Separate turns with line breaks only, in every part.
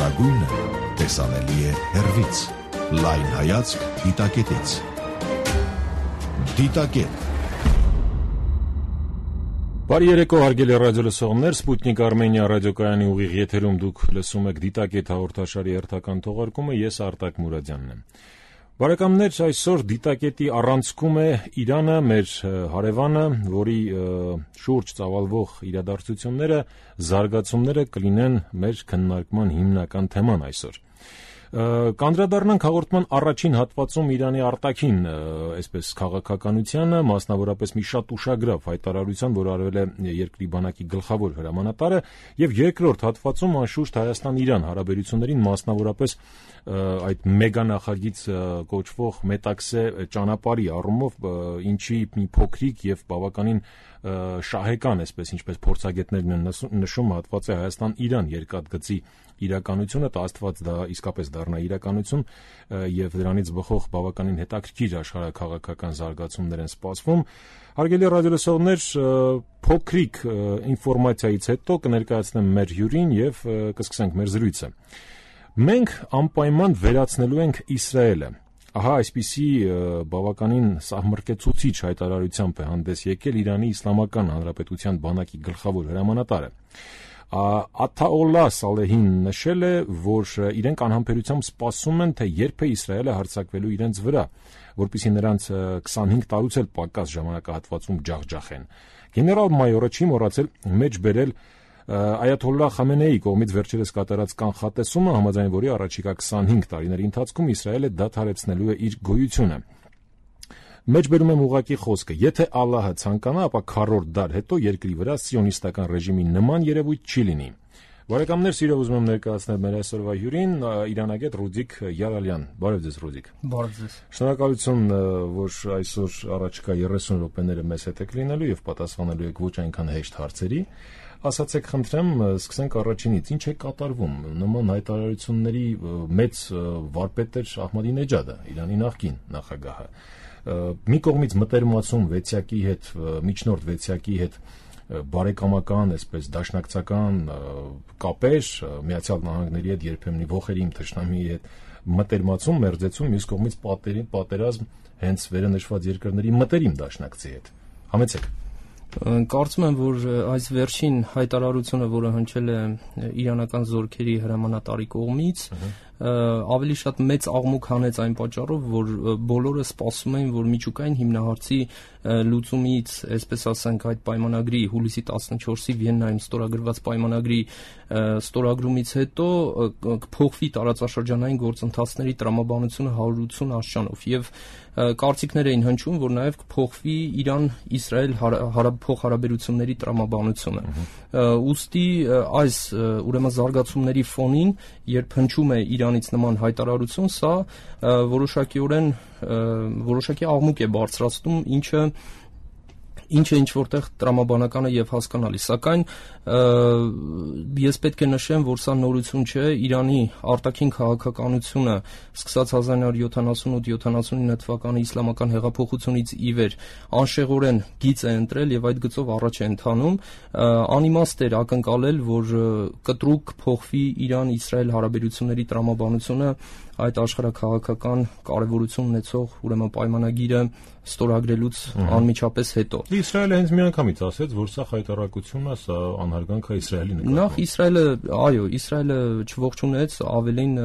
Լավագույնը տեսանելի է հեռվից։ Լայն հայացք դիտակետից։ Դիտակետ։
Բարի երեկո, հարգելի ռադիոլսողներ, Սպուտնիկ Արմենիա ռադիոկայանի ուղիղ եթերում դուք լսում եք Դիտակետ հաղորդաշարի հերթական թողարկումը, ես Արտակ Մուրադյանն եմ։ Բարեկամներ, այսօր Դիտակետի առանցքում է Իրանը, մեր հարևանը, որի շուրջ ծավալվող իրադարձությունները, զարգացումները կլինեն մեր քննարկման հիմնական թեման այսօր։ Կանդրադառնանք հաղորդման առաջին հատվածում Իրանի արտաքին, այսպես քաղաքականությանը, մասնավորապես մի շատ ուշագրավ հայտարարության, որ արվել է երկրի բանակի գլխավոր հրամանատարը, եւ երկրորդ հատվածում անշուշտ Հայաստան-Իրան հարաբերություններին, մասնավորապես այդ մեգանախագիծ կոչվող Մետաքսե ճանապարհի առումով, ինչի մի փոքրիկ եւ բավականին շահեկան, այսպես ինչպես փորձագետներն են նշում, հատված է Հայաստան-Իրան երկաթգծի իրականությունը, Աստված դա իսկապես դառնա իրականություն եւ դրանից բխող բավականին հետաքրքիր աշխարհաքաղաքական զարգացումներ են սպասվում։ Հարգելի ռադիոլսողներ, փոքրիկ ինֆորմացիայից հետո կներկայացնեմ մեր հյուրին եւ կսկսենք մեր զրույցը։ Մենք անպայման վերացնելու ենք Իսրայելը։ Ահա այսպիսի բավականին սահմռկեցուցիչ հայտարարությամբ է հանդես եկել Իրանի Իսլամական Հանրապետության բանակի գլխավոր հրամանատարը։ Աթաոլլահ Սալեհին նշել է, որ իրենք անհամբերությամբ սպասում են, թե երբ է Իսրայելը հարձակվելու իրենց վրա, որպեսզի նրանց 25 տարուց էլ պակաս ժամանակահատվածում ջախջախեն։ Գեներալ-մայորը չի մոռացել մեջ բերել Այաթոլլահ Խամենեիի կողմից վերջերս կատարած կանխատեսումը, համաձայն որի առաջիկա 25 տարիների ընթացքում Իսրայելը դադարեցնելու է իր գոյությունը։ Մեջ բերում եմ ուղղակի խոսքը. եթե Ալլահը ցանկանա, ապա քառորդ դար հետո երկրի վրա սիոնիստական ռեժիմի նման երևույթ չի լինի։ Բարեկամներ, սիրով ուզում եմ ներկայացնել մեր այսօրվա հյուրին, իրանագետ Ռուդիկ Յարալյան։ Բարև ձեզ, Ռուդիկ։
Բարև ձեզ։
Շնորհակալություն, որ այսօր առաջիկա 30 րոպեները մեզ հետ եք լինելու եւ պատասխանելու եք ոչ այնքան հեշտ հարցերի։ Ասացեք, խնդրեմ, սկսենք առաջինից. ինչ է կատարվում նման հայտարարությունների մեծ վարպետ Ահմադինեջադը, Իրանի նախկին նախագահը։ Մի կողմից մտերմացում վեցյակի հետ, միջնորդ վեցյակի հետ բարեկամական, այսպես դաշնակցական կապեր, Միացյալ Նահանգների հետ, երբեմն ոխերիմ թշնամիի հետ մտերմացում, մերձեցում, մյուս կողմից պատերազմ հենց վերը նշված երկրների մտերիմ դաշնակցի հետ։ Համեցեք։
Կարծում եմ, որ այս վերջին հայտարարությունը, որը հնչել է իրանական զորքերի հրամանատարի կողմից, ավելի շատ մեծ աղմուկ հանեց այն պատճառով, որ բոլորը սպասում էին, որ միջուկային հիմնահարցի լուծումից, այսպես ասենք, այդ պայմանագրի հուլիսի 14-ի Վիեննայում ստորագրված պայմանագրի ստորագրումից հետո կփոխվի տարածաշրջանային գործընթացների տրամաբանությունը 180 աստիճանով եւ կարծիքներ էին հնչում, որ նաև կփոխվի Իրան-Իսրայել փոխհարաբերությունների տրամաբանությունը։ Ուստի այս ուրեմն զարգացումների ֆոնին, երբ հնչում է Իրանից նման հայտարարություն, սա որոշակի աղմուկ է բարձրացնում, ինչը ինչ-որտեղ տրամաբանականը եւ հասկանալի, սակայն ես պետք է նշեմ, որ սա նորություն չէ, Իրանի արտաքին քաղաքականությունը սկսած 1978-79 թվականի իսլամական հեղափոխությունից ի վեր անշեղորեն գիծ է ընտրել եւ այդ գծով առաջ է ընթանում, անիմաստ էր ակնկալել, որ կտրուկ փոխվի Իրան-Իսրայել հարաբերությունների տրամաբանությունը այդ աշխարհաքաղաքական կարևորություն ունեցող ուրեմն պայմանագիրը ստորագրելուց անմիջապես հետո։
Իսրայելը հենց միանգամից ասեց, որ սա խայտարակություն է, սա անհարգանք է Իսրայելի նկատմամբ։
Նախ Իսրայելը չողջունեց, ավելին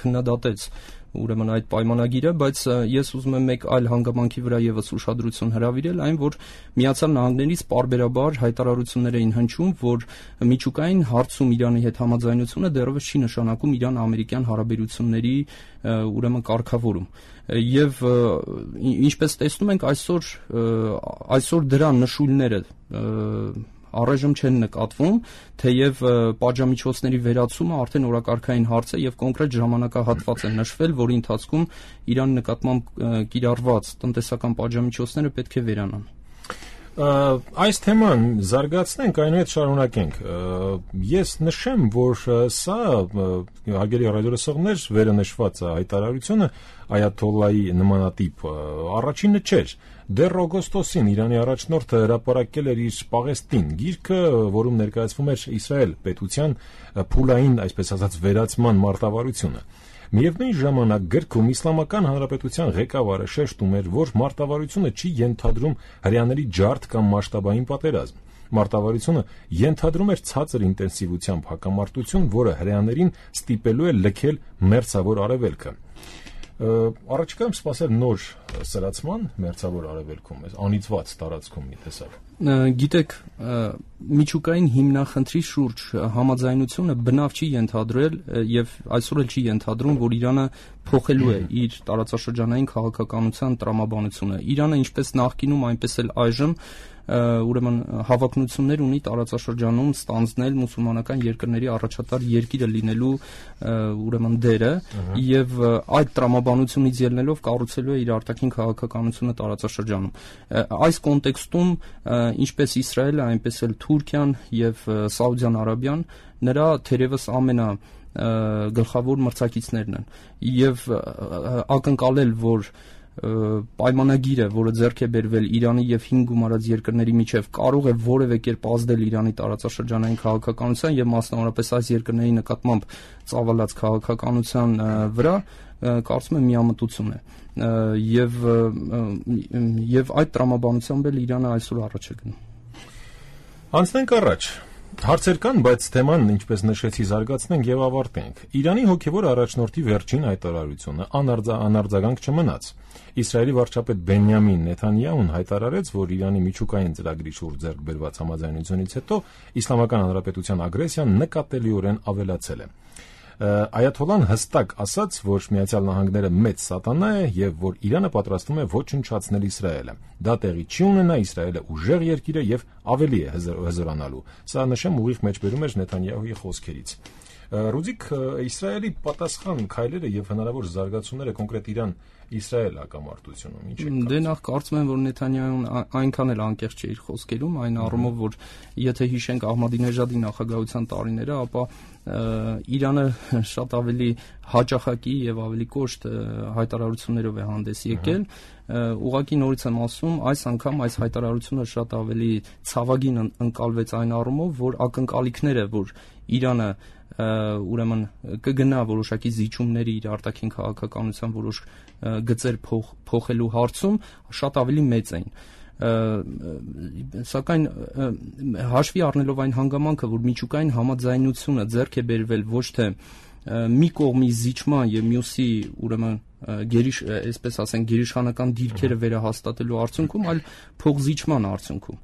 քննադատեց ուրեմն այդ պայմանագիրը, բայց ես ուզում եմ մեկ այլ հանգամանքի վրա եւս ուշադրություն հրավիրել, այն որ Միացյալ Նահանգներից պարբերաբար հայտարարություններ էին հնչում, որ միջուկային հարցում Իրանի հետ համաձայնությունը դեռևս չի նշանակում Իրան-ամերիկյան հարաբերությունների ուրեմն կարգավորում։ Եվ ինչպես տեսնում ենք, այսօր դրա նշույլները առայժմ չեն նկատվում, թեև պատժամիջոցների վերացումը արդեն օրակարգային հարց է եւ կոնկրետ ժամանակահատված է նշվել, որի ընթացքում Իրանի նկատմամբ կիրառված տնտեսական պատժամիջոցները պետք է վերանան։
Այս թեման զարգացնենք, այնուհետ շարունակենք։ Ես նշեմ, որ սա հարգելի ռադիոլսողներ վերը նշված հայտարարությունը այաթոլլայի նմանատիպ առաջինը չէր։ Դեռ օգոստոսին Իրանի առաջնորդը հրապարակել էր իր Պաղեստին գիրքը, որում ներկայացվում էր Իսրայել պետության փուլային, այսպես ասած, վերացման մարտավարությունը։ Միևնույն ժամանակ գրքում Իսլամական Հանրապետության ղեկավարը շեշտում էր, որ մարտավարությունը չի ենթադրում հրեաների ջարդ կամ մասշտաբային պատերազմ։ Մարտավարությունը ենթադրում էր ցածր ինտենսիվությամբ հակամարտություն, որը հրեաներին ստիպելու է լքել մերձավոր արևելքը։ Առաջիկայում սպասել նոր սրացման մերձավոր արևելքում, անիծված տարածքում մի տեսակ։
Գիտեք, միջուկային հիմնախնդրի շուրջ համաձայնությունը բնավ չի ենթադրել եւ այսօր էլ չի ենթադրում, որ Իրանը փոխելու է իր տարածաշրջանային քաղաքականության տրամաբանությունը։ Իրանը ինչպես նախկինում, այնպես էլ այժմ ուրեմն հավակնություններ ունի տարածաշրջանում ստանձնել մուսուլմանական երկրների առաջատար երկիրը լինելու ուրեմն դերը եւ այդ տրամաբանությունից ելնելով կառուցելու է իր արտաքին քաղաքականությունը տարածաշրջանում։ Այս կոնտեքստում ինչպես Իսրայելը, այնպես էլ Թուրքիան եւ Սաուդյան Արաբիան նրա թերևս գլխավոր մրցակիցներն են եւ ակնկալել, որ պայմանագիրը, որը ձեռք է բերվել Իրանի եւ 5 գումարած երկրների միջև, կարող է որևէ կերպ ազդել Իրանի տարածաշրջանային քաղաքականության եւ մասնավորապես այս երկրների նկատմամբ ծավալած քաղաքականության վրա, կարծում եմ միամտություն է եւ այդ տրամաբանությամբ էլ Իրանը այսօր առաջ է գնում։
Անցնենք առաջ։ Հարցեր կան, բայց թեման, ինչպես նշեցի, զարգացնենք եւ ավարտենք։ Իրանի հոգեվոր առաջնորդի վերջին հայտարարությունը անարձագանք չմնաց։ Իսրայելի վարչապետ Բենյամին Նեթանյահուն հայտարարեց, որ Իրանի միջուկային ծրագրի շուրջ ձեռք բերված համաձայնությունից հետո Իսլամական Հանրապետության ագրեսիան նկատելիորեն ավելացել է։ Այաթոլլան հստակ ասաց, որ Միացյալ Նահանգները մեծ սատանա է եւ որ Իրանը պատրաստվում է ոչնչացնել Իսրայելը։ Դա տեղի չի ունենա, Իսրայելը ուժեղ երկիր է եւ ավելի է հզորանալու։ Սա նշեմ ուղիղ մեջբերում էր Նեթանյահուի խոսքերից։ Ռուզիկ, Իսրայելի պատասխան քայլերը եւ հնարավոր զարգացումները կոնկրետ Իրան-Իսրայել հակամարտությունում ինչ է։
Դե նախ կարծում եմ, որ Նեթանյահուն այնքան էլ անկեղծ չէ իր խոսքերում, այն առումով, որ եթե հիշենք Ահմադինեժադի նախագահության տարիները, ապա Իրանը շատ ավելի հաճախակի եւ ավելի կոշտ հայտարարություններով է հանդես եկել։ Ուղղակի նորից եմ ասում, այս անգամ այս հայտարարությունը շատ ավելի ցավագին ընկալվեց այն առումով, որ ակնկալիքները, որ Իրանը ուրեմն կգնա որոշակի զիջումների իր արտաքին քաղաքականության որոշ գծեր փոխելու հարցում շատ ավելի մեծ էին։ Սակայն հաշվի առնելով այն հանգամանքը, որ միջուկային համաձայնությունը ձեռք է բերվել ոչ թե մի կողմի զիջման եւ մյուսի ուրեմն այսպես ասենք գերիշխանական դիրքերը վերահաստատելու արդյունքում, այլ փոխզիջման արդյունքում։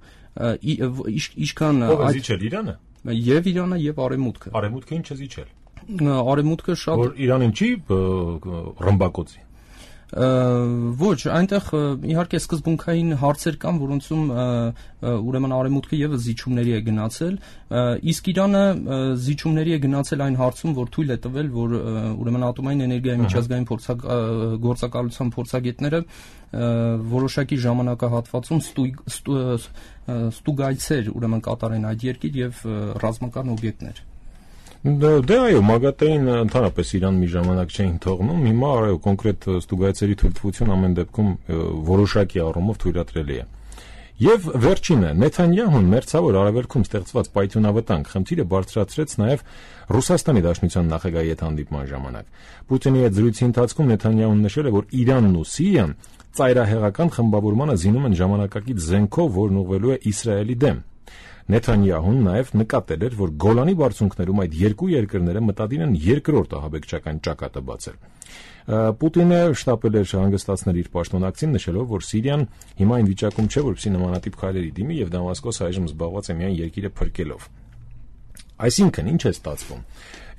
Ինչքան
զիջել Իրանը
եւ Իրանը եւ Արևմուտքը։
Արևմուտքը ինչ է զիջել։
Արևմուտքը շատ
որ Իրանին չի ռմբակոծի։
Ոչ, այնտեղ իհարկե սկզբունքային հարցեր կան, որոնցում ուրեմն Արևմուտքը եւս զիջումների է գնացել, իսկ Իրանը զիջումների է գնացել այն հարցում, որ թույլ է տվել, որ ուրեմն ատոմային էներգիայի միջազգային գործակալության փորձագետները որոշակի ժամանակահատվածում ստուգայցեր ուրեմն կատարեն այդ երկիր եւ ռազմական օբյեկտներ։
Դե այո, ՄԱԳԱՏԷ-ին ընդհանրապես Իրան մի ժամանակ չէին թողնում, հիմա այո, կոնկրետ ստուգայցերի թույլտվություն ամեն դեպքում որոշակի առումով թույլատրելի է։ Եվ վերջինը, Նեթանյահուն մերձավոր արևելքում ստեղծված պայթյունավտանգ խնդիրը բարձրացրեց նաև Ռուսաստանի Դաշնության նախագահի հետ հանդիպման ժամանակ։ Պուտինի հետ զրույցի ընթացքում Նեթանյահուն նշել է, որ Իրանն ու Սիրիան ծայրահեղական խմբավորմանը զինում են ժամանակակից զենքով, որն ուղղվելու է Իսրայելի դեմ։ Նեթանյահուն նաև նկատել էր, որ Գոլանի բարձունքներում այդ երկու երկրները մտադիր են երկրորդ ահաբեկչական ճակատը բացել։ Պուտինը շտապել էր հանգստացնել իր պաշտոնակցին, նշելով, որ Սիրիան հիմա այն վիճակում չէ, որպեսզի նմանատիպ քայլերի դիմի եւ Դամասկոսը այժմ զբաղված է միայն երկիրը փրկելով։ Այսինքն, ինչ է ստացվում։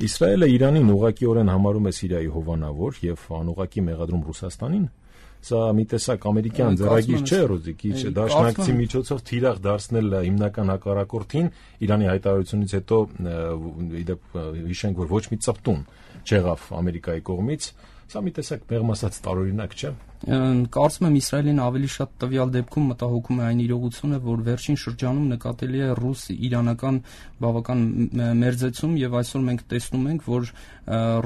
Իսրայելը Իրանին ուղղակիորեն համարում է Սիրիայի հովանավոր եւ անուղղակի մեղադրում Ռուսաստանին։ Սա մի տեսակ ամերիկյան ձեռագիր չէ, Ռոզիկ, դաշնակցի միջոցով թիրախ դարձնել հիմնական հակառակորդին Իրանի հայտարարությունից հետո հիշենք, որ ոչ մի ծպտուն չեղավ Ամերիկայի կողմից, Սա մի տեսակ մեղմ ասած տարօրինակ չէ։
Կարծում եմ Իսրայելին ավելի շատ տվյալ դեպքում մտահոգում է այն իրողությունը, որ վերջին շրջանում նկատելի է ռուս-իրանական բավական մերձեցում եւ այսօր մենք տեսնում ենք, որ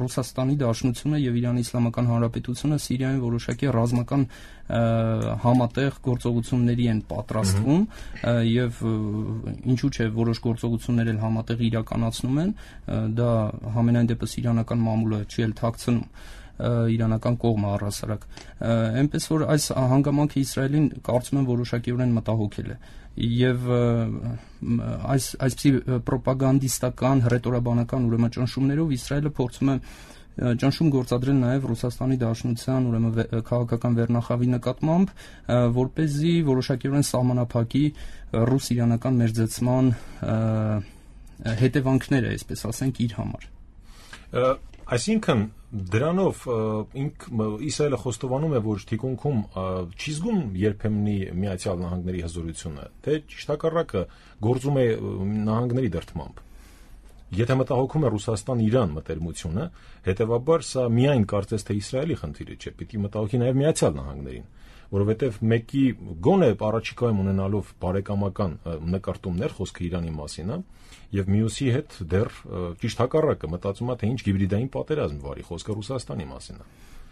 Ռուսաստանի Դաշնությունը եւ Իրանի Իսլամական Հանրապետությունը Սիրիայում որոշակի ռազմական համատեղ գործողությունների են պատրաստվում եւ ինչու՞ չէ որոշ գործողություններ էլ համատեղ իրականացնում են, դա համենայն դեպս իրանական մամուլը չի էլ թաքցնում իրանական կողմը առհասարակ այնպես որ այս հանգամանքը Իսրայելին կարծում եմ որոշակիորեն մտահոգել է եւ այսպիսի ռոպագանդիստական հռետորաբանական ուրեմն ճնշումներով Իսրայելը փորձում է ճնշում գործադրել նաև Ռուսաստանի Դաշնության ուրեմն քաղաքական վերնախավի նկատմամբ, որպեսզի որոշակիորեն սահմանափակի ռուս-իրանական մերձեցման հետևանքները, այսպես ասենք, իր համար։
Այսինքն դրանով Իսրայելը խոստովանում է, որ թիկունքում չի զգում երբեմնի Միացյալ Նահանգների հզորությունը, թե ճիշտ հակառակը գործում է նահանգների դրդմամբ։ Եթե մտահոգում է Ռուսաստան-Իրան մտերմությունը, հետևաբար սա միայն կարծես թե Իսրայելի խնդիրը չէ, պիտի մտահոգի նաև Միացյալ Նահանգներին, որովհետև մեկի գոնե առաջիկայում ունենալով բարեկամական նկարտումներ խոսքը Իրանի մասին է, եւ մյուսի հետ դեռ ճիշտ հակառակը մտածում է, թե ինչ հիբրիդային պատերազմ վարի, խոսքը Ռուսաստանի մասին է։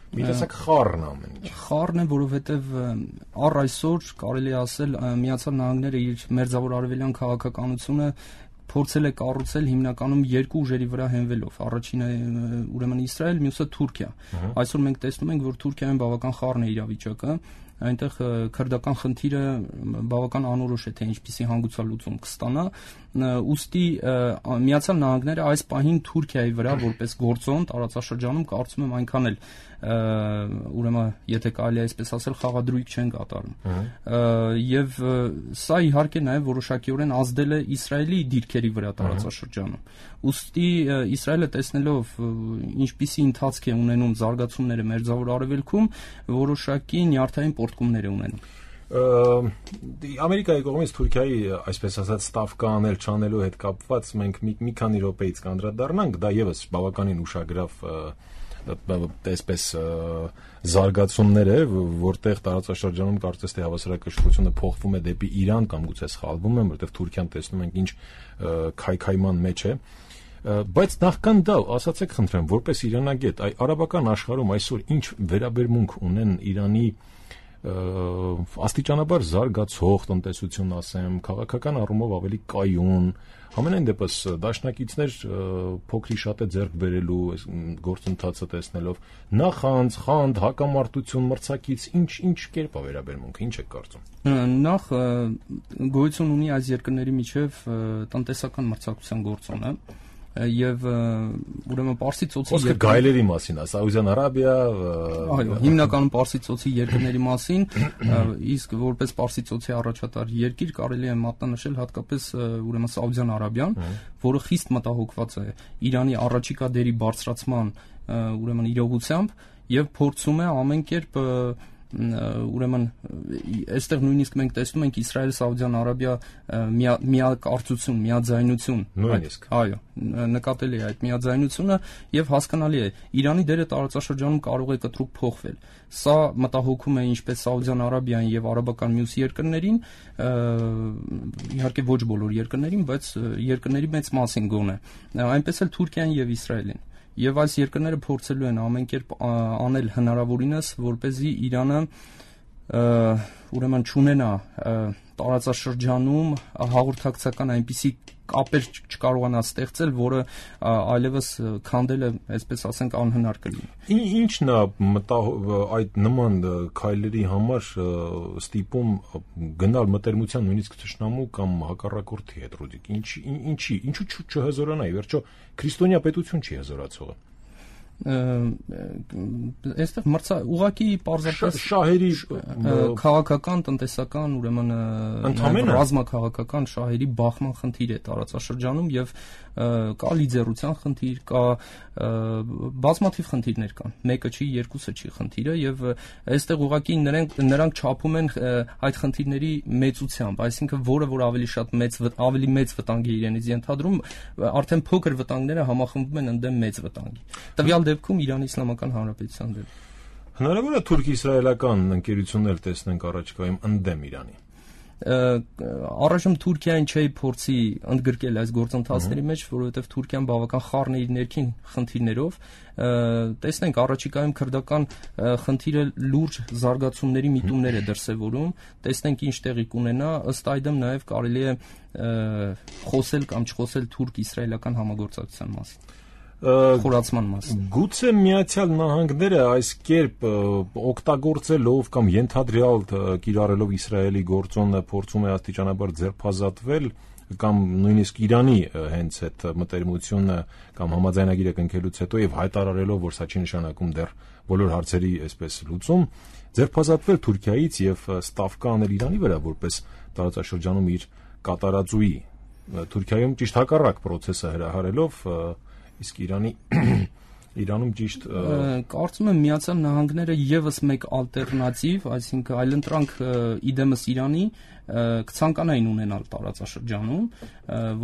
Մի տեսակ խառն ամեն ինչ։
Խառն է, որովհետև առ այսօր կարելի է ասել Միացյալ Նահանգները իր մերձավոր արևելյան քաղաքականությունը փորձել է կառուցել հիմնականում երկու ուժերի վրա հենվելով։ Առաջինը ուրեմն Իսրայել, մյուսը Թուրքիա։ Այսօր մենք տեսնում ենք, որ Թուրքիայում բավական խառն է իրավիճակը, այնտեղ քրդական խնդիրը բավական անորոշ է, թե ինչպիսի հանգուցալուծում կստանա, ուստի Միացյալ Նահանգները այս պահին Թուրքիայի վրա որպես գործոն տարածաշրջանում կարծում եմ այնքան էլ ուրեմն եթե կարելի է այսպես ասել խաղադրույք չեն կատարում եւ սա իհարկե նաեւ որոշակիորեն ազդել է Իսրայելի դիրքերի վրա տարածաշրջանում ուստի Իսրայելը տեսնելով ինչպիսի ընթացք է ունենում զարգացումները մերձավոր արևելքում որոշակի նյարդային պոռթկումներ է ունենում
Ամերիկայի կողմից Թուրքիայի այսպես ասած ստավկա անել չանելու հետ կապված մենք մի քանի րոպեից կանդրադառնանք դա եւս բավականին ուշագրավ այսպես զարգացումներ է, որտեղ տարածաշրջանում կարծես թե հավասարակշռությունը փոխվում է դեպի Իրան կամ գուցե սխալվում եմ, որտեղ Թուրքիան տեսնում ենք ինչ քայքայման մեջ է, բայց նախքան դա ասացեք խնդրեմ, որպես իրանագետ, արաբական աշխարհում այսօր ինչ վերաբերմունք ունեն Իրանի աստիճանաբար զարգացող տնտեսություն ասեմ, քաղաքական առումով ավելի կայուն, համենայն դեպս դաշնակիցներ փոքրի շատ է ձեռք բերելու գործընթացը տեսնելով, նախանց, խանդ, հակամարտություն, մրցակից, ինչ կերպ է վերաբերմունքը, ինչ եք կարծում։
Նախ գոյություն ունի այս երկրների միջև տնտեսական մրցակցության գործոնը եւ ուրեմն Պարսից ծոցի
գայլերի մասին, Սաուդյան Արաբիա,
այո, հիմնականում Պարսից ծոցի երկրների մասին, իսկ որպես Պարսից ծոցի առաջատար երկիր կարելի է մատնանշել հատկապես ուրեմն Սաուդյան Արաբիան, որը խիստ մտահոգված է Իրանի առաջիկա դերի բարձրացման ուրեմն իրողությամբ եւ փորձում է ամեն կերպ ուրեմն այստեղ նույնիսկ մենք տեսնում ենք Իսրայել-Սաուդյան Արաբիա միակարծություն, միաձայնություն,
նույնիսկ
այո, նկատելի է այդ միաձայնությունը եւ հասկանալի է Իրանի դերը տարածաշրջանում կարող է կտրուկ փոխվել։ Սա մտահոգում է ինչպես Սաուդյան Արաբիային եւ արաբական մյուս երկրներին, իհարկե ոչ բոլոր երկրներին, բայց երկրների մեծ մասին գոնե, այնպես էլ Թուրքիան եւ Իսրայելին։ Եվ այս երկրները փորձելու են ամեն կերպ անել հնարավորինս, որպեսզի Իրանը ուրեմն չունենա տարածաշրջանում հաղորդակցական այնպիսի կապեր չկարողանա ստեղծել, որը այլևս քանդելը, այսպես ասենք, անհնար կլինի։
Ինչն է այդ նման քայլերի համար ստիպում գնալ մտերմության նույնիսկ թշնամու կամ հակառակորդի հետ, Ռուդիկ, ինչու չհզորանա, ի վերջո քրիստոնյա պետություն չի հզորացողը։
Այստեղ ուղղակի պարզապես
շահերի
քաղաքական, տնտեսական, ուրեմն ռազմաքաղաքական շահերի բախման խնդիր է տարածաշրջանում եւ կա լիդերության խնդիր, կա բազմաթիվ խնդիրներ կան։ Մեկը չի, երկուսը չի խնդիրը եւ այստեղ ուղղակի նրանք չափում են այդ խնդիրների մեծությամբ, այսինքն որը որ ավելի մեծ վտանգ է իրենից ենթադրում, արդեն փոքր վտանգները համախմբվում են ընդդեմ մեծ վտանգի։ Տվյալ դեպքում Իրանի Իսլամական Հանրապետության դեմ։
Հնարավոր է թուրք-իսրայելական ընկերություններ տեսնենք առաջիկայում ընդդեմ Իրանի։
Առայժմ Թուրքիային չի փորձի ընդգրկել այս գործընթացների մեջ, որովհետև Թուրքիան բավական խառն է իր ներքին խնդիրներով։ Տեսնենք առաջիկայում քրդական խնդիրը լուրջ զարգացումների միտումներ է դրսևորում, տեսնենք ինչ տեղի կունենա, ըստ այդմ նաև կարելի է խոսել կամ չխոսել թուրք-իսրայելական համագործակցության մասին։ Խորացման մասին։
Գուցե Միացյալ Նահանգները այս կերպ օգտագործելով կամ ենթադրյալ կիրառելով Իսրայելի գործոնը փորձում է աստիճանաբար ձերբազատվել կամ նույնիսկ Իրանի հենց այդ մտերմությունը կամ համաձայնագիրը կնքելուց հետո եւ հայտարարելով, որ սա չի նշանակում դեռ բոլոր հարցերի այսպես լուծում, ձերբազատվել Թուրքիայից եւ ստավկա անել Իրանի վրա որպես տարածաշրջանում իր կատարածուի։ Թուրքիայում ճիշտ հակառակ process-ը հրահարելով իսկ Իրանում ճիշտ
կարծում եմ Միացյալ Նահանգները եւս մեկ ալտերնատիվ, այսինքն այլընտրանք իդեմս Իրանի կցանկանային ունենալ տարածաշրջանում,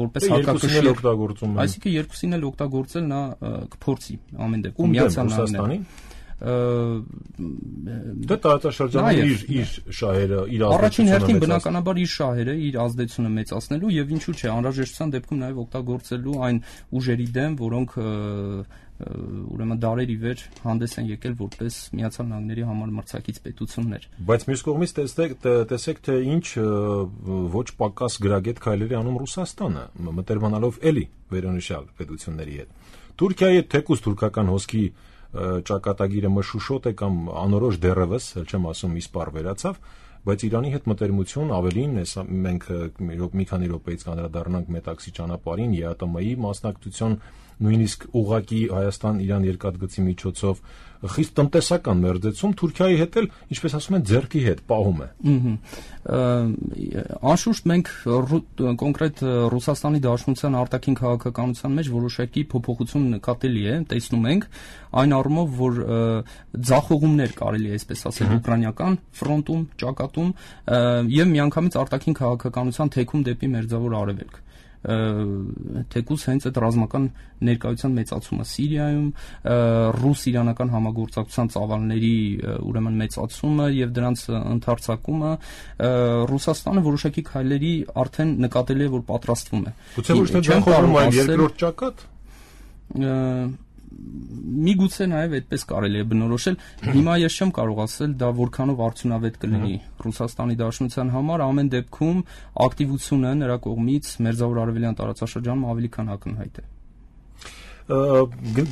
որպես հակակշիռ
օգտագործում,
այսինքն երկուսին էլ օգտագործել նա կփորձի ամեն դեպքում Միացյալ Նահանգները։
Դա տարածաշրջանում իր շահերը, իր
առաջին հերթին բնականաբար իր շահերը, իր ազդեցությունը մեծացնելու եւ ինչու՞ չէ, անհրաժեշտության դեպքում նաեւ օգտագործելու այն ուժերի դեմ, որոնք ուրեմն դարերի վեր հանդես են եկել որպես Միացյալ Նահանգների համար մրցակից պետություններ։
Բայց մյուս կողմից տեսեք թե ինչ ոչ պակաս գրագետ քայլերի անում Ռուսաստանը, մտերմանալով էլի վերոնշյալ պետությունների հետ։ Թուրքիայի հետ թեկուզ թուրքական հոսքի ճակատագիրը մշուշոտ է կամ անորոշ դեռևս, էլ չեմ ասում իսպառ վերացավ, բայց Իրանի հետ մտերմություն ավելին, մենք մի քանի րոպեից կանդրադառնանք Մետաքսի ճանապարհին, ԵԱՏՄ-ի մասնակցություն, նույնիսկ ուղղակի Հայաստան-Իրան երկաթգծի միջոցով խիստ տնտեսական մերձեցում Թուրքիայի հետ էլ, ինչպես ասում են, ձեռքի հետ պահում է։
Անշուշտ մենք կոնկրետ Ռուսաստանի Դաշնության արտաքին քաղաքականության մեջ որոշակի փոփոխություն նկատելի է, տեսնում ենք այն առումով, որ ձախողումներ կարելի է այսպես ասել ուկրաինական ֆրոնտում, ճակատում եւ միանգամից արտաքին քաղաքականության թեքում դեպի Մերձավոր Արևելք։ Թեկուզ հենց այդ ռազմական ներկայության մեծացումը Սիրիայում, ռուս-իրանական համագործակցության ծավալների ուրեմն մեծացումը եւ դրանց ընդարձակումը Ռուսաստանը որոշակի քայլերի արդեն նկատելի է, որ պատրաստվում է։
Գուցե ոչ թե ձախողում, այլ երկրորդ ճակատ։
Միգուցե նաև այդպես կարելի է բնորոշել։ Հիմա ես չեմ կարող ասել դա որքանով արդյունավետ կլինի Ռուսաստանի Դաշնության համար, ամեն դեպքում ակտիվությունը նրա կողմից Մերձավոր Արևելյան տարածաշրջանում ավելի քան ակնհայտ է։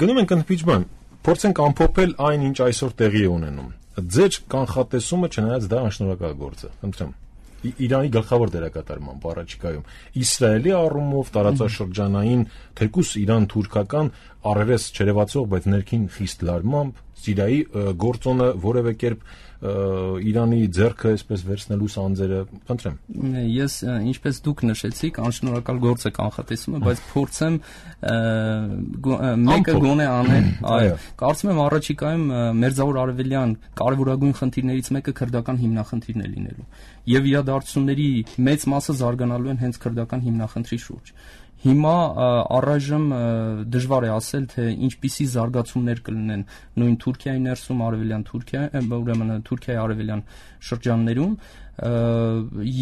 Գնում ենք ընդմիջման, փորձենք ամփոփել այն, ինչ այսօր տեղի է ունենում։ Ձեր կանխատեսումը չնայած դա անշնորհակալ գործ է, խնդրեմ։ Իրանի գլխավոր դերակատարմամբ առաջիկայում Իսրայելի առումով տարածաշրջանային թեկուս Իրան-թուրքական առերես չերևացող, բայց ներքին խիստ լարմամբ Սիրիայի գործոնը որևէ կերպ Իրանի ձեռքը այսպես վերցնելու սանձերը, խնդրեմ։
Ես ինչպես դուք նշեցիք, անշնորհակալ գործ է կանխատեսումը, բայց փորձեմ մեկը գոնե անել, այո, կարծում եմ առաջիկայում Մերձավոր Արևելյան կարևորագույն խնդիրներից մեկը քրդական հիմնախնդիրն է լինելու եւ իրադարձությունների մեծ մասը զարգանալու են հենց քրդական հիմնախնդրի շուրջ։ Հիմա առայժմ դժվար է ասել, թե ինչպիսի զարգացումներ կլինեն նույն Թուրքիայի ներսում, արևելյան ուրեմն Թուրքիայի արևելյան շրջաններում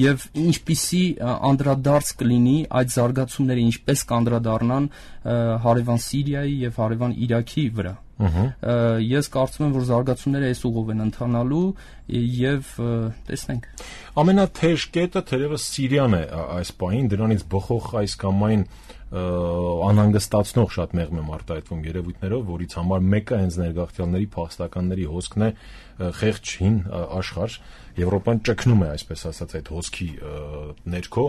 եւ ինչպիսի անդրադարձ կլինի այդ զարգացումները, ինչպես կանդրադառնան հարևան Սիրիայի եւ հարևան Իրաքի վրա։ Ես կարծում եմ, որ զարգացումները այս ուղով են ընթանալու եւ տեսնենք։
Ամենաթեժ կետը թերևս Սիրիան է այս պահին, դրանից բխող այս կամ այն անհանգստացնող շատ մեղմ եմ արտահայտվում երևույթներով, որից համար մեկը հենց ներգաղթյալների փախստականների հոսքն է, խեղճ հին աշխարհ, Եվրոպան ճգնում է, այսպես ասած, այդ հոսքի ներքո,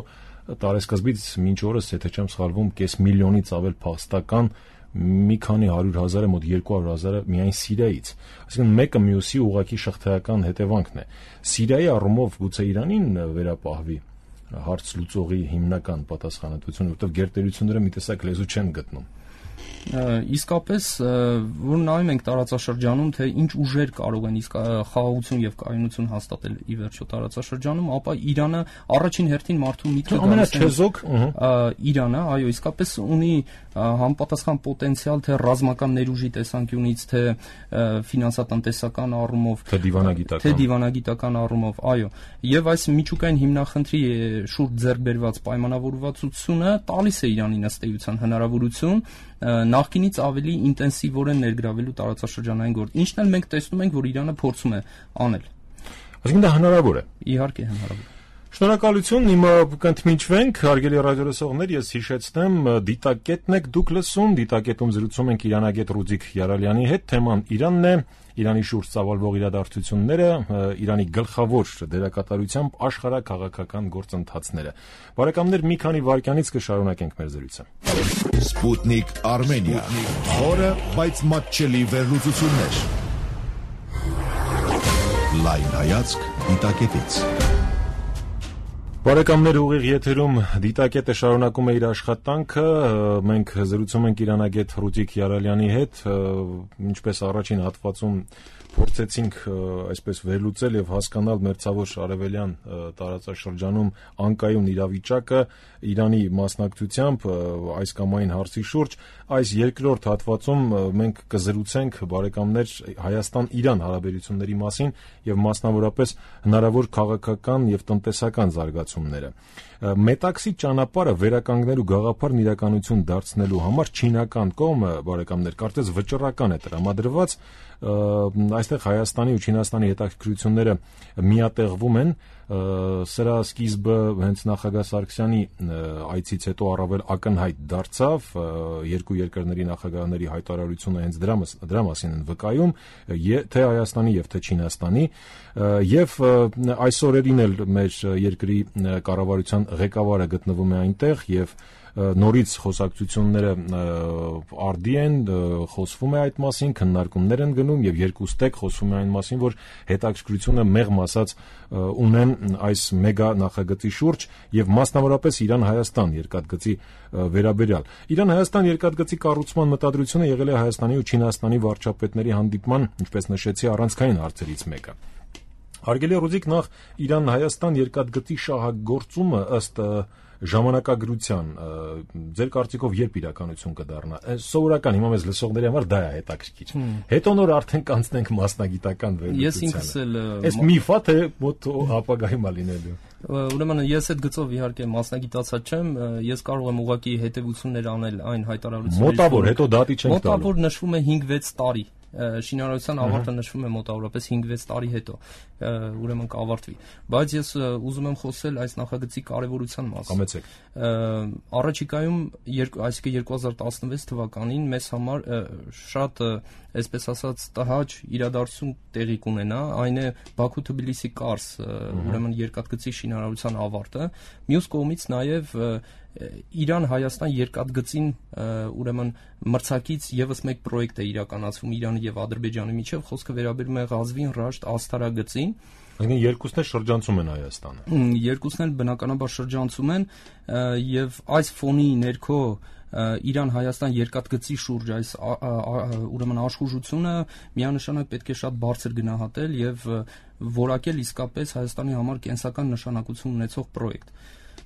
տարեսկզբից մինչ օրս, եթե չեմ սխալվում, կես միլիոնից ավել փախստական մի քանի 100,000-ը, մոտ 200,000-ը միայն Սիրիայից։ Այսինքն մեկը մյուսի ուղղակի շղթայական հետևանքն է։ Սիրիայի առումով գուցե Իրանին վերապահվի հարց լուծողի հիմնական պատասխանատվությունը, որովհետև գերտերությունները մի տեսակ լեզու չեն գտնում։
Իսկապես, որ նայում ենք տարածաշրջանում, թե ինչ ուժեր կարող են իսկ խաղաղություն եւ կայունություն հաստատել ի վերջո տարածաշրջանում, ապա Իրանը առաջին հերթին մարդու միտքը
ամենաչեզոք
Իրանը, այո, իսկապես ունի համապատասխան պոտենցիալ թե ռազմական ներուժի տեսանկյունից, թե ֆինանսատնտեսական առումով, թե դիվանագիտական առումով, այո, եւ այս միջուկային հիմնախնդրի շուրջ ձեռք բերված պայմանավորվածությունը տալիս է Իրանին ըստ էության հնարավորություն նախկինից ավելի ինտենսիվորեն ներգրավելու տարածաշրջանային գործ։ Ինչն էլ մենք տեսնում ենք, որ Իրանը փորձում է անել։
Այսինքն դա հնարավոր է։
Իհարկե հնարավոր է։
Շնորհակալություն, հիմա կընդմիջվենք, հարգելի ռադիոլսողներ, ես հիշեցնեմ, դիտակետն եք դուք լսում, դիտակետում զրուցում ենք իրանագետ Ռուզիկ Յարալյանի հետ, թեման Իրանն է, Իրանի շուրջ ծավալվող իրադարձությունները, Իրանի գլխավոր դերակատարությամբ աշխարհաքաղաքական գործընթացները։ Բարեկամներ, մի քանի վայրկյանից կշարունակենք մեր զրույցը։
Սպուտնիկ Արմենիա, խորը, բայց մատչելի վերլուծություններ։ Լայն հայացք դիտակետից։
Բարեկամներ, ուղիղ եթերում դիտակետը շարունակում է իր աշխատանքը, մենք զրուցում ենք իրանագետ Ռուզիկ Յարալյանի հետ, ինչպես առաջին հատվածում փորձեցինք այսպես վերլուծել եւ հասկանալ մերձավոր արևելյան տարածաշրջանում անկայուն իրավիճակը Իրանի մասնակցությամբ այս կամ այն հարցի շուրջ, այս երկրորդ հատվածում մենք կզրուցենք բարեկամներ Հայաստան-Իրան հարաբերությունների մասին եւ մասնավորապես հնարավոր քաղաքական եւ տնտեսական զարգացումները։ Մետաքսի ճանապարհը վերականգնելու գաղափարն իրականություն դարձնելու համար չինական կողմը բարեկամներ կարծես վճռական է տրամադրված, այստեղ Հայաստանի ու Չինաստանի հետաքրքրությունները միատեղվում են, սրա սկիզբը հենց նախագահ Սարգսյանի այցից հետո առավել ակնհայտ դարձավ, երկու երկրների նախագահների հայտարարությունը հենց դրա մասին են վկայում, թե Հայաստանի եւ թե Չինաստանի, եւ այս օրերին էլ մեր երկրի կառավարության ղեկավարը գտնվում է այնտեղ եւ նորից խոսակցությունները արդի են, խոսվում է այդ մասին, քննարկումներ են գնում եւ երկուստեք խոսվում է այն մասին, որ հետաքրքրությունը մեղմ ասած ունեն այս մեգա նախագծի շուրջ եւ մասնավորապես Իրան-Հայաստան երկաթգծի վերաբերյալ։ Իրան-Հայաստան երկաթգծի կառուցման մտադրությունը եղել է Հայաստանի ու Չինաստանի վարչապետների հանդիպման, ինչպես նշեցի, առանցքային հարցերից մեկը։ Հարգելի Ռուզիկ, նախ Իրան-Հայաստան երկաթգծի շահագործումը ըստ ժամանակագրության ձեր կարծիքով երբ իրականություն կդառնա։ Սովորական հիմա մեզ լսողների համար դա է հետաքրքիր։ Հետո նոր արդեն կանցնենք մասնագիտական վերլուծությանը։
Ես ինքս էլ
այս միֆա թե մոտ ապագայում է լինելու։
Ուրեմն ես այդ գծով իհարկե մասնագիտացած չեմ, ես կարող եմ ուղղակի հետևություններ անել այն հայտարարությունների։
Մոտավոր, հետո դատի չենք տալու։
Մոտավոր նշվում է 5-6 տարի։ Շինարարության ավարտը նշվում է մոտավորապես 5-6 տարի հետո, ուրեմն կավարտվի։ Բայց ես ուզում եմ խոսել այս նախագծի կարևորության մասին։
Կամեցեք։
Առաջիկայում, այսինքն 2016 թվականին մեզ համար շատ, այսպես ասած, տհաճ իրադարձություն տեղի կունենա, այն է Բաքու-Թբիլիսի Կարս, ուրեմն երկաթգծի շինարարության ավարտը, մյուս կողմից նաև Իրան-Հայաստան երկաթգծին ուրեմն մրցակից եւս մեկ պրոյեկտ է իրականացվում Իրանի եւ Ադրբեջանի միջեւ, խոսքը վերաբերում է Ղազվին Ռաշտ աստարագծին։
Այսինքն երկուսն էլ շրջանցում են Հայաստանը։
Երկուսն էլ բնականաբար շրջանցում են եւ այս ֆոնի ներքո Իրան-Հայաստան երկաթգծի շուրջ այս ուրեմն աշխուժությունը միանշանակ պետք է շատ բարձր գնահատել եւ որակել իսկապես Հայաստանի համար կենսական նշանակություն ունեցող պրոյեկտ։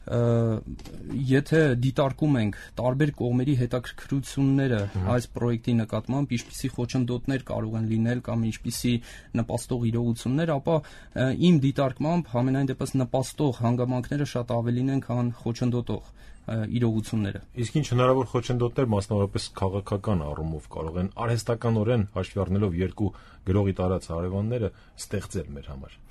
Եթե դիտարկում ենք տարբեր կողմերի հետաքրքրությունները այս պրոյեկտի նկատմամբ, ինչպիսի խոչընդոտներ կարող են լինել կամ ինչպիսի նպաստող իրողություններ, ապա իմ դիտարկմամբ համենայն դեպս նպաստող հանգամանքները շատ ավելին են, քան խոչընդոտող իրողությունները։
Իսկ ինչ հնարավոր խոչընդոտներ մասնավորապես քաղաքական առումով կարող են արհեստականորեն հաշվի առնելով երկու գրողի տարած հարևանները ստեղծել մեր համար։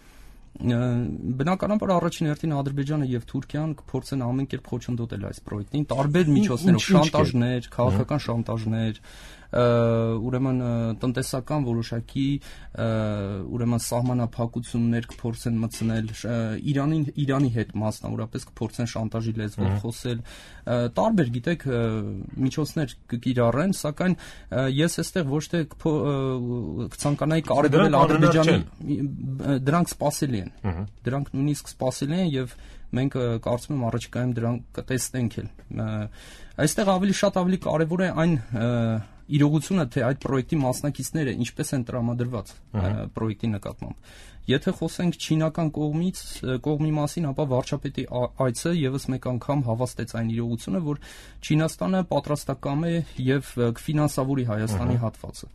Բնականաբար առաջին հերթին Ադրբեջանը եւ Թուրքիան կփորձեն ամեն կերպ խոչընդոտել այս պրոյեկտին տարբեր միջոցներով, շանտաժներ, քաղաքական շանտաժներ, ուրեմն տնտեսական որոշակի ուրեմն սահմանափակություններ կփորձեն մտցնել Իրանի հետ մասնավորապես կփորձեն շանտաժի լեզվով խոսել, տարբեր գիտեք միջոցներ կկիրառեն, սակայն ես այստեղ ոչ թե կցանկանայի կարևորել Ադրբեջանի, դրանք սպասելի են, դրանք նույնիսկ սպասելի են եւ մենք կարծում եմ առաջիկայում դրանք կտեսնենք էլ։ Այստեղ ավելի կարևոր է այն իրողությունը, թե այդ պրոյեկտի մասնակիցները ինչպես են տրամադրված պրոյեկտի նկատմամբ։ Եթե խոսենք չինական կողմի մասին, ապա վարչապետի այցը եւս մեկ անգամ հավաստեց այն իրողությունը, որ Չինաստանը պատրաստական է եւ կֆինանսավորի Հայաստանի հատվածը։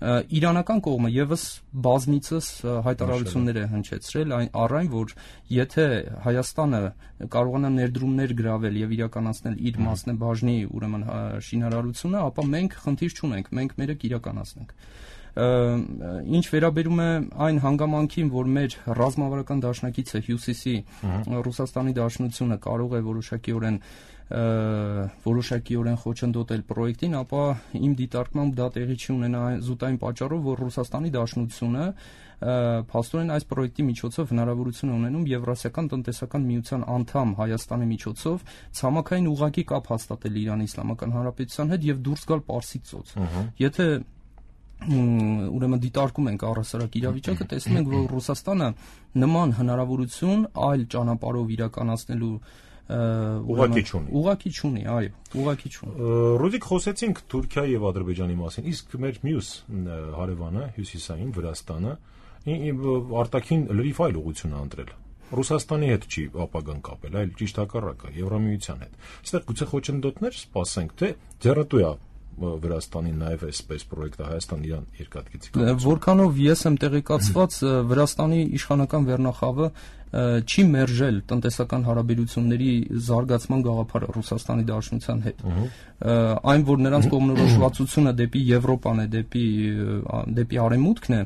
Իրանական կողմը եւս բազմիցս հայտարարություններ է հնչեցրել առ այն, որ եթե Հայաստանը կարողանա ներդրումներ գրավել եւ իրականացնել իր մասնաբաժնի ուրեմն շինարարությունը, ապա մենք խնդիր չունենք, մենք մերը կիրականացնենք։ Ինչ վերաբերում է այն հանգամանքին, որ մեր ռազմավարական դաշնակիցը Հյուսիսի Ռուսաստանի Դաշնությունը կարող է որոշակիորեն խոչընդոտել պրոյեկտին, ապա իմ դիտարկմամբ դա տեղի չի ունենա զուտ այն պատճառով, որ Ռուսաստանի Դաշնությունը փաստորեն այս պրոյեկտի միջոցով հնարավորություն է ունենում Եվրասիական տնտեսական միության անդամ Հայաստանի միջոցով ցամաքային ուղղակի կապ հաստատել Իրանի Իսլամական Հանրապետության հետ եւ դուրս գալ Պարսից ծոց։ Եթե ուրեմն դիտարկում ենք առհասարակ իրավիճակը, տեսնում ենք, որ Ռուսաստանը նման հնարավորություն այլ ճանապարհով իրականացնելու ուղղակի չունի, այո, ուղղակի չունի։
Ռուդիկ, խոսեցինք Թուրքիայի եւ Ադրբեջանի մասին, իսկ մեր մյուս հարևանը հյուսիսային Վրաստանը արտաքին լրիվ այլ ուղղություն է ընտրել։ Ռուսաստանի հետ չի ապագան կապել, այլ ճիշտ հակառակը, Եվրամիության հետ։ Այստեղ գուցե խոչընդոտներ սպասենք, թե ձեռնտու է Վրաստանի նաև այսպես պրոյեկտը Հայաստան-Իրան երկաթգծի կապակցությամբ։ Որքանով
ես եմ տեղեկացված, Վրաստանի իշխանական վերնախավը չի մերժել տնտեսական հարաբերությունների զարգացման գաղափարը Ռուսաստանի Դաշնության հետ։ Այն, որ նրանց կողմնորոշվածությունը դեպի Եվրոպան է, դեպի արևմուտքն է,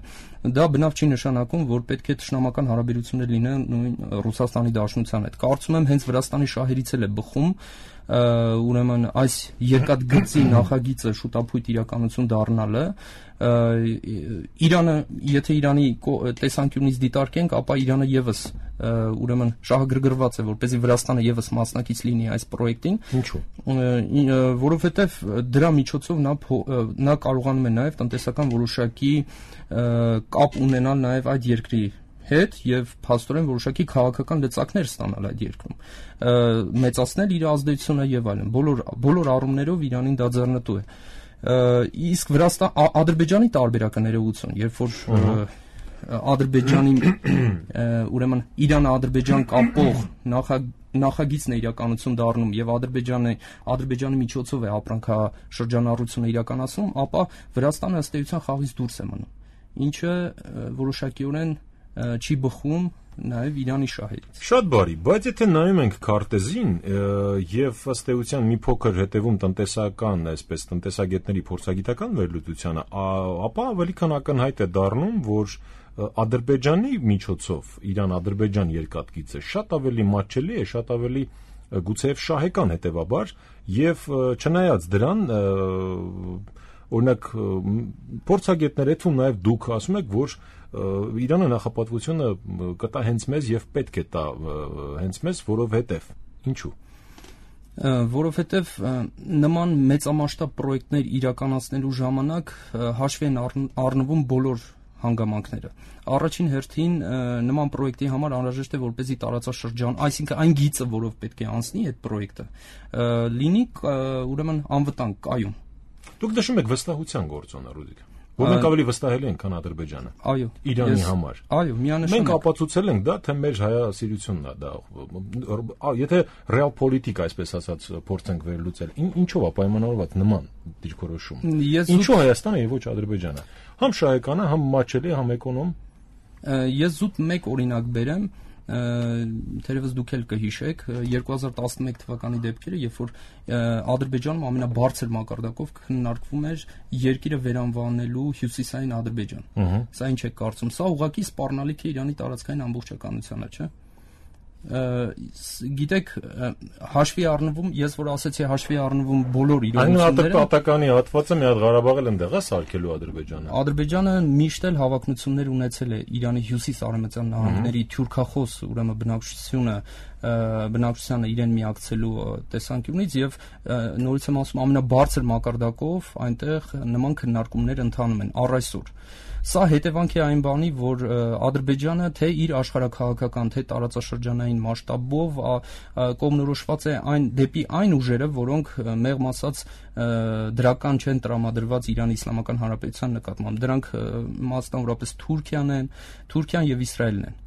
դա բնավ չի նշանակում, որ պետք է թշնամական հարաբերություններ լինեն նույն Ռուսաստանի Դաշնության հետ։ Կարծում եմ, հենց Վրաստանի շահերից էլ է բխում ուրեմն այս երկաթգծի նախագիծը շուտապույտ իրականություն դառնալը։ Իրանը, եթե Իրանի տեսանկյունից դիտարկենք, ապա Իրանը եւս ուրեմն շահագրգռված է, որպեսզի Վրաստանը եւս մասնակից լինի այս պրոյեկտին։
Ինչու՞։
Որովհետեւ դրա միջոցով նա կարողանում է նաեւ տնտեսական որոշակի կապ ունենալ նաեւ այդ երկրի հետ եւ փաստորեն որոշակի քաղաքական լծակներ ստանալ այդ երկրում, մեծացնել իր ազդեցությունը եւ այլն։ Բոլոր առումներով Իրանին դա ձեռնտու է։ Իսկ Ադրբեջանի տարբերակը ներողություն, երբ որ Ադրբեջանի ուրեմն Իրան-Ադրբեջան կապող նախագիծն է իրականություն դառնում եւ Ադրբեջանի միջոցով է ապրանքաշրջանառությունը իրականացնում, ապա Վրաստանը ըստ էության խաղից դուրս է մնում, ինչը որոշակիորեն չի բխում նաև Իրանի շահերից։
Շատ բարի, բայց եթե նայում ենք քարտեզին եւ ըստ էության մի փոքր հետևում տնտեսական, այսպես տնտեսագետների փորձագիտական վերլուծությանը, ապա ավելի քան ակնհայտ է դառնում, որ Ադրբեջանի միջոցով Իրան-Ադրբեջան երկաթգիծը շատ ավելի մատչելի է, շատ ավելի գուցեև շահեկան հետեւաբար, եւ չնայած դրան օրինակ փորձագետներ հետում նաև դուք ասում եք, որ Իրանը նախապատվությունը կտա հենց մեզ եւ պետք է տա հենց մեզ, որովհետեւ ինչու։
Որովհետեւ նման մեծամասշտաբ պրոյեկտներ իրականացնելու ժամանակ հաշվի են առնվում բոլոր հանգամանքները։ Առաջին հերթին նման պրոյեկտի համար անհրաժեշտ է, որպեսզի տարածաշրջան, այսինքն այն գիծը, որով պետք է անցնի այդ պրոյեկտը, լինի ուրեմն անվտանգ, կայուն։
Դուք նշում եք վստահության գործոնը, Ռուդիկ, որ մենք ավելի վստահելի ենք, քան Ադրբեջանը։
Այո,
Իրանի համար։
Այո, միանշանակ։
Մենք ապացուցել ենք դա, թե մեր հայասիրությունն է դա։ Եթե ռեալ պոլիտիկ, այսպես ասած, փորձենք վերլուծել, ինչով է պայմանավորված նման դիրքորոշում։ Ինչու Հայաստանը եւ ոչ Ադրբեջանը։ Համ շահեկան է, համ մատչելի, համ էկոնոմ։
Ես զուտ մեկ օրինակ բերեմ, թերևս դուք էլ կհիշեք 2011 թվականի դեպքերը, երբ որ Ադրբեջանում ամենաբարձր մակարդակով քննարկվում էր երկիրը վերանվանելու հյուսիսային Ադրբեջան։ Սա ինչ է կարծում, սա ուղղակի սպառնալիք է Իրանի տարածքային ամբողջականությանը, չէ՞։ Գիտեք, հաշվի առնվում, ես որ ասեցի հաշվի առնվում բոլոր
իրողությունները։ Այն պատականի հատվածը մի հատ Ղարաբաղել ընդեղ է սարքելու Ադրբեջանը։
Ադրբեջանը միշտ էլ հավակնություններ ունեցել է Իրանի հյուսիս-արևմտյան նահանգների թյուրքախոս, ուրեմն բնակչությանը իրեն միակցելու տեսանկյունից եւ նորից եմ ասում ամենաբարձր մակարդակով այնտեղ նման քննարկումներ ընթանում են առ այսօր։ Սա հետևանք է այն բանի, որ Ադրբեջանը թե իր աշխարհաքաղաքական, թե տարածաշրջանային մասշտաբով կողմնորոշված է դեպի այն ուժերը, որոնք մեղմ ասած դրական չեն տրամադրված Իրանի Իսլամական Հանրապետության նկատմամբ։ Դրանք մասնավորապես Թուրքիան եւ Իսրայելն են։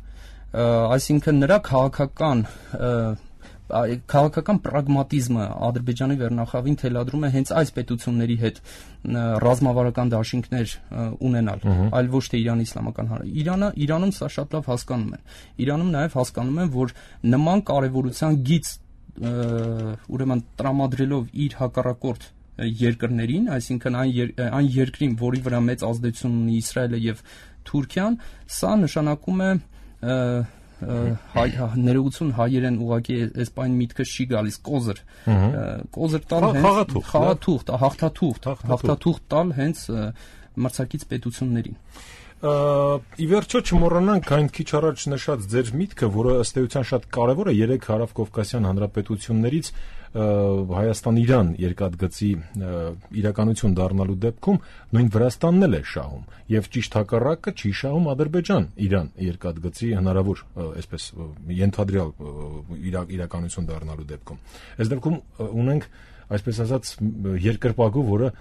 Այսինքն նրա քաղաքական պրագմատիզմը Ադրբեջանի վերնախավին թելադրում է հենց այս պետությունների հետ ռազմավարական դաշինքներ ունենալ, այլ ոչ թե Իրանի Իսլամական Հանրապետությունը։ Իրանում սա շատ լավ հասկանում են։ Իրանում նաև հասկանում են, որ նման կարևորության գիծ ուրեմն տրամադրելով իր հակառակորդ երկրներին, այսինքն այն երկրին, որի վրա մեծ ազդեցություն ունի Իսրայելը եւ Թուրքիան, սա նշանակում է ներողություն հայերեն ուղղակի այսպայն միտքը չի գալիս կոզր տալ հենց հաղթաթուղթ տալ հենց մրցակից պետություններին։
Ի վերջո չմոռանանք այն քիչ առաջ նշած ձեր միտքը, որը ըստ էության շատ կարևոր է 3 հարավկովկասյան հանրապետություններից Հայաստան-Իրան երկաթգծի իրականություն դառնալու դեպքում նույն Վրաստանն էլ է շահում եւ ճիշտ հակառակը չի շահում Ադրբեջան-Իրան երկաթգծի հնարավոր այսպես ենթադրյալ իրականություն դառնալու դեպքում։ Այս դեպքում ունենք այսպես ասած երկրպագու, որը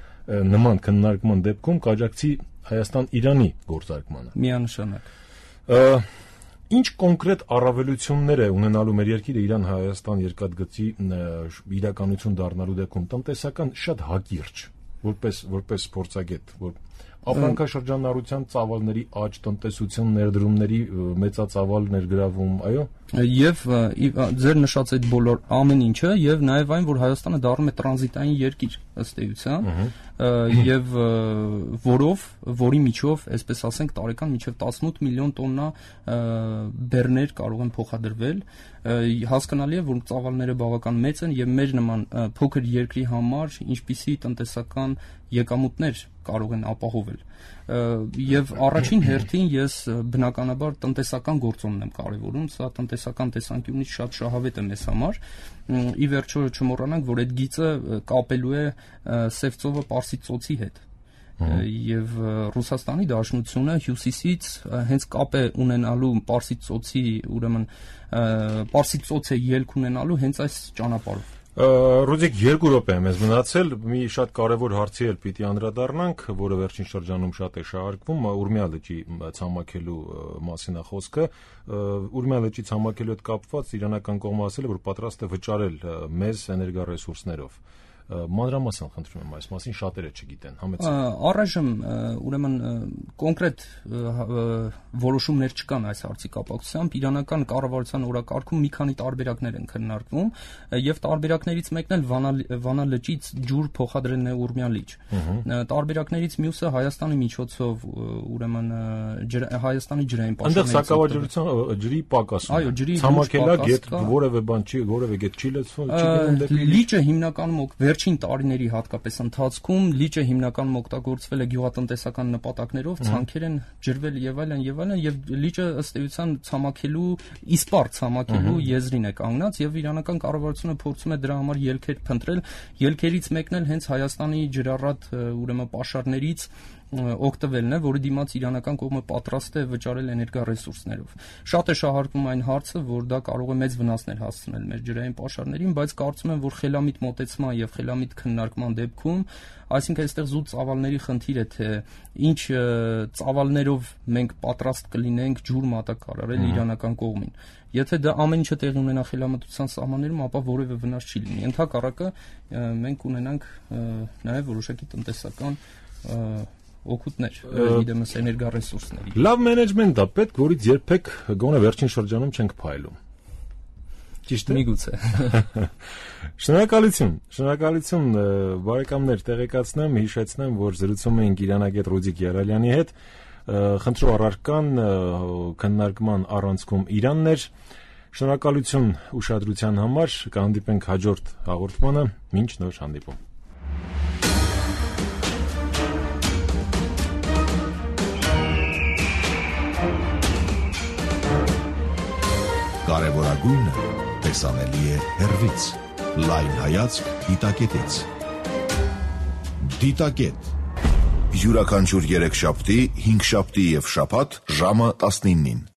նման քննարկման դեպքում կաջակցի Հայաստան-Իրանի գործարկմանը։
Միանշանակ։
Ինչ կոնկրետ առավելություններ է ունենալու մեր երկիրը Իրան-Հայաստան երկաթգծի իրականություն դառնալու դեպքում տնտեսական շատ հակիրճ, որպես փորձագետ, որ ապրանքաշրջանառության ծավալների աճ, տնտեսության ներդրումների մեծածավալ ներգրավում, այո։
Եվ ձեր նշած այդ բոլոր ամեն ինչը եւ նաեւ այն, որ Հայաստանը դառնում է տրանզիտային երկիր ըստ էության, եւ որի միջով, այսպես ասենք, տարեկան մինչև 18 միլիոն տոննա բեռներ կարող են փոխադրվել։ Հասկանալի է, որ ծավալները բավական մեծ են եւ մեր նման փոքր երկրի համար ինչպիսի տնտեսական եկամուտներ կարող են ապահովել։ Եվ առաջին հերթին ես բնականաբար տնտեսական գործոնն եմ կարևորում, սա տնտեսական տեսանկյունից շատ շահավետ է մեզ համար։ Ի վերջո չմոռանանք, որ այդ գիծը կապելու է Սև ծովը Պարսից ծոցի հետ։ Եվ Ռուսաստանի Դաշնությունը հյուսիսից հենց կապ է ունենալու Պարսից ծոցի, ուրեմն Պարսից ծոցը ելք ունենալու հենց այս ճանապարհով։
Ռոդիկ 2 րոպե է մեզ մնացել, մի շատ կարևոր հարցի էլ պիտի անդրադառնանք, որը վերջին շրջանում շատ է շահարկվում, Ուրմիա լճի ցամաքելու մասին է խոսքը։ Ուրմիա լճի ցամաքելու հետ կապված իրանական կողմը ասել է, որ պատրաստ է վճարել մեզ էներգառեսուրսներով։ Մանրամասն խնդրում եմ այս մասին, շատերը չգիտեն, համեցեք։
Առայժմ ուրեմն կոնկրետ որոշումներ չկան այս հարցի կապակցությամբ։ Իրանական կառավարության օրակարգում մի քանի տարբերակներ են քննարկվում եւ տարբերակներից մեկն էլ Վանա լճից ջուր փոխադրելն է Ուրմիա լիճ։ Տարբերակներից մյուսը Հայաստանի միջոցով ուրեմն Հայաստանի ջրային
պաշարների։ Այնտեղ սակավաջրության ջրի պակաս։
Այո, ջրի
ցամաքելագետ որևէ բան չի, որևէ գետ չի լցվում, չգիտեմ դեպի
լիճը հիմնականում վերջին տարիների հատկապես ընթացքում լիճը հիմնականում օգտագործվել է գյուղատնտեսական նպատակներով, ցանքեր են ջրվել եւ այլն եւ լիճը ըստ էության ցամաքելու իսպառ ցամաքելու եզրին է կանգնած եւ իրանական կառավարությունը փորձում է դրա համար ելքեր փնտրել, ելքերից մեկն էլ հենց Հայաստանի ջրառատ ուրեմն պաշարներից օգտվելն է, որի դիմաց իրանական կողմը պատրաստ է վճարել էներգառեսուրսներով։ Շատ է շահարկվում այն հարցը, որ դա կարող է մեծ վնասներ հասցնել մեր ջրային պաշարներին, բայց կարծում եմ, որ խելամիտ մոտեցման եւ խելամիտ քննարկման դեպքում, այսինքն այստեղ զուտ ծավալների խնդիր է, թե ինչ ծավալներով մենք պատրաստ կլինենք ջուր մատակարարել իրանական կողմին։ Եթե դա ամեն ինչը տեղի ունենա խելամտության սահմաններում, ապա որևէ վնաս չի լինի։ Ընդհակառակը մենք ունենանք նաեւ որոշակի տնտեսական օգուտներ, իդեմս էներգառեսուրսների։
Լավ մենեջմենտ է պետք, որից երբեք գոնե վերջին շրջանում չենք փայլում։ Ճիշտ է։
Միգուցե։
Շնորհակալություն, բարեկամներ, տեղեկացնեմ, հիշեցնեմ, որ զրուցում էինք իրանագետ Ռոդիկ Եղալյանի հետ, խնդրու առարկան քննարկման առանցքում Իրանն էր։ Շնորհակալություն ուշադրության համար, կհանդիպենք հաջորդ հաղորդմանը, մինչ նոր հանդիպում։
Կարևորագույնը տեսանելի է հեռվից։ Լայն հայացք դիտակետից։ Դիտակետ։ Յուրաքանչյուր 3 շաբթի, 5 շաբթի եւ շաբաթ ժամը 19-ին։